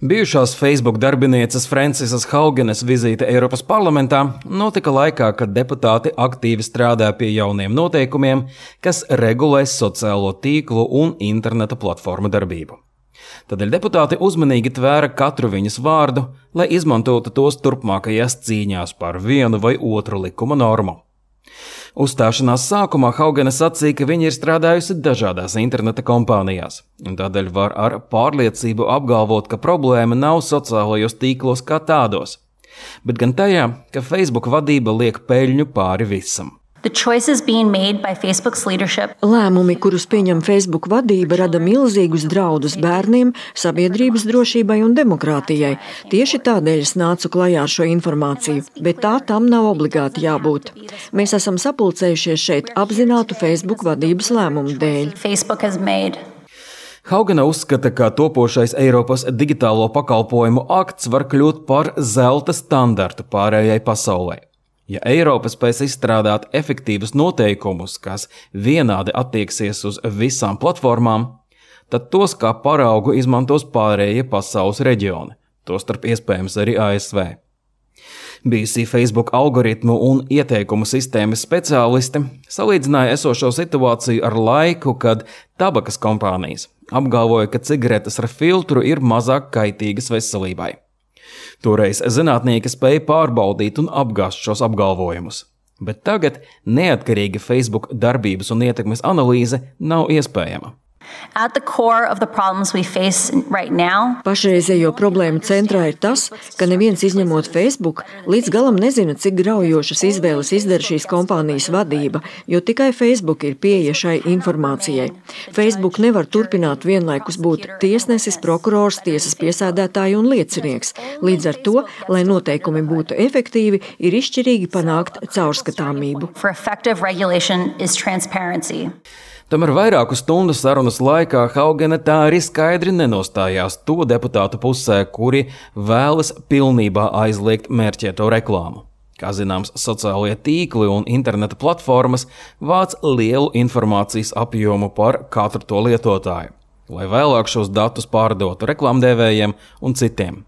Bijušās Facebook darbinieces Francisas Haugenes vizīte Eiropas parlamentā notika laikā, kad deputāti aktīvi strādā pie jauniem noteikumiem, kas regulēs sociālo tīklu un interneta platformu darbību. Tādēļ deputāti uzmanīgi tvēra katru viņas vārdu, lai izmantotu tos turpmākajās cīņās par vienu vai otru likuma normu. Uzstāšanās sākumā Haugene sacīja, ka viņa ir strādājusi dažādās interneta kompānijās, un tādēļ var ar pārliecību apgalvot, ka problēma nav sociālajos tīklos kā tādos, bet gan tajā, ka Facebook vadība liek peļņu pāri visam. Lēmumi, kurus pieņem Facebook vadība, rada milzīgus draudus bērniem, sabiedrības drošībai un demokrātijai. Tieši tādēļ es nācu klajā ar šo informāciju, bet tā tam nav obligāti jābūt. Mēs esam sapulcējušies šeit apzinātu Facebook vadības lēmumu dēļ. Haugene uzskata, ka topošais Eiropas digitālo pakalpojumu akts var kļūt par zelta standartu pārējai pasaulē. Ja Eiropa spēs izstrādāt efektīvus noteikumus, kas vienādi attieksies uz visām platformām, tad tos kā paraugu izmantos pārējie pasaules reģioni, tostarp iespējams arī ASV. Bijusī Facebook algoritmu un ieteikumu sistēmas speciālisti salīdzināja esošo situāciju ar laiku, kad tabakas kompānijas apgalvoja, ka cigaretes ar filtru ir mazāk kaitīgas veselībai. Toreiz zinātnieki spēja pārbaudīt un apgāzt šos apgalvojumus, bet tagad neatkarīga Facebook darbības un ietekmes analīze nav iespējama. Pašreizējo problēmu centrā ir tas, ka neviens izņemot Facebook līdz galam nezina, cik graujošas izvēles izdara šīs kompānijas vadība, jo tikai Facebook ir pieeja šai informācijai. Facebook nevar turpināt vienlaikus būt tiesnesis, prokurors, tiesas piesēdētāji un liecinieks. Līdz ar to, lai noteikumi būtu efektīvi, ir izšķirīgi panākt caurskatāmību. Tomēr vairāku stundu sarunas laikā Haugene tā arī skaidri nenostājās to deputātu pusē, kuri vēlas pilnībā aizliegt mērķēto reklāmu. Kā zināms, sociālie tīkli un interneta platformas vāc lielu informācijas apjomu par katru to lietotāju, lai vēlāk šos datus pārdotu reklāmdevējiem un citiem.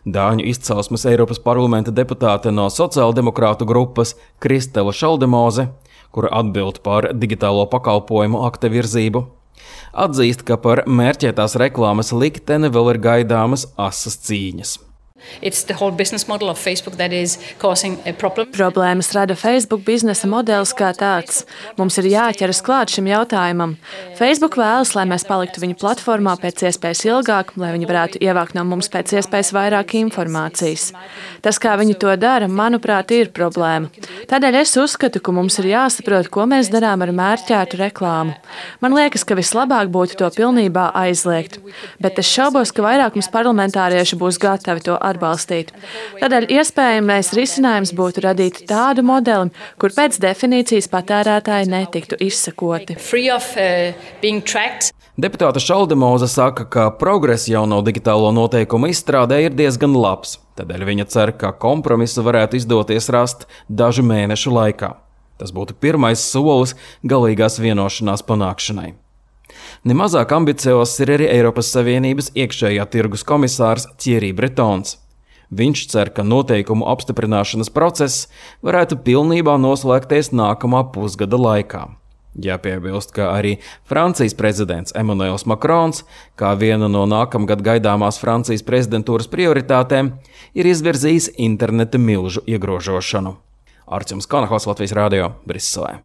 Dāņu izcelsmes Eiropas parlamenta deputāte no sociāldemokrātu grupas Kristela Šaldemoze, kura atbild par digitālo pakalpojumu akta virzību, atzīst, ka par mērķētās reklāmas likteni vēl ir gaidāmas asas cīņas. Problēmas rada Facebook biznesa modelis kā tāds. Mums ir jāķeras klāt šim jautājumam. Facebook vēlas, lai mēs paliktu viņu platformā pēc iespējas ilgāk, lai viņi varētu ievākt no mums pēc iespējas vairāk informācijas. Tas, kā viņi to dara, manuprāt, ir problēma. Tādēļ es uzskatu, ka mums ir jāsaprot, ko mēs darām ar mērķētu reklāmu. Man liekas, ka vislabāk būtu to pilnībā aizliegt, bet es šaubos, ka vairākums parlamentārieši būs gatavi to atbalstīt. Tādēļ iespējamais risinājums būtu radīt tādu modeli, kur pēc definīcijas patērētāji netiktu izsekoti. Deputāte Šaldemoze saka, ka progress jauno digitālo noteikumu izstrādē ir diezgan labs, tādēļ viņa cer, ka kompromisu varētu izdoties rast dažu mēnešu laikā. Tas būtu pirmais solis galīgās vienošanās panākšanai. Nemazāk ambiciozs ir arī Eiropas Savienības iekšējā tirgus komisārs Thierry Bretons. Viņš cer, ka noteikumu apstiprināšanas process varētu pilnībā noslēgties nākamā pusgada laikā. Jāpiebilst, ka arī Francijas prezidents Emmanuels Macrons, kā viena no nākamgad gaidāmās Francijas prezidentūras prioritātēm, ir izvirzījis interneta milžu iegrožošanu. Artjums Kanahos, Latvijas radio, Briselē.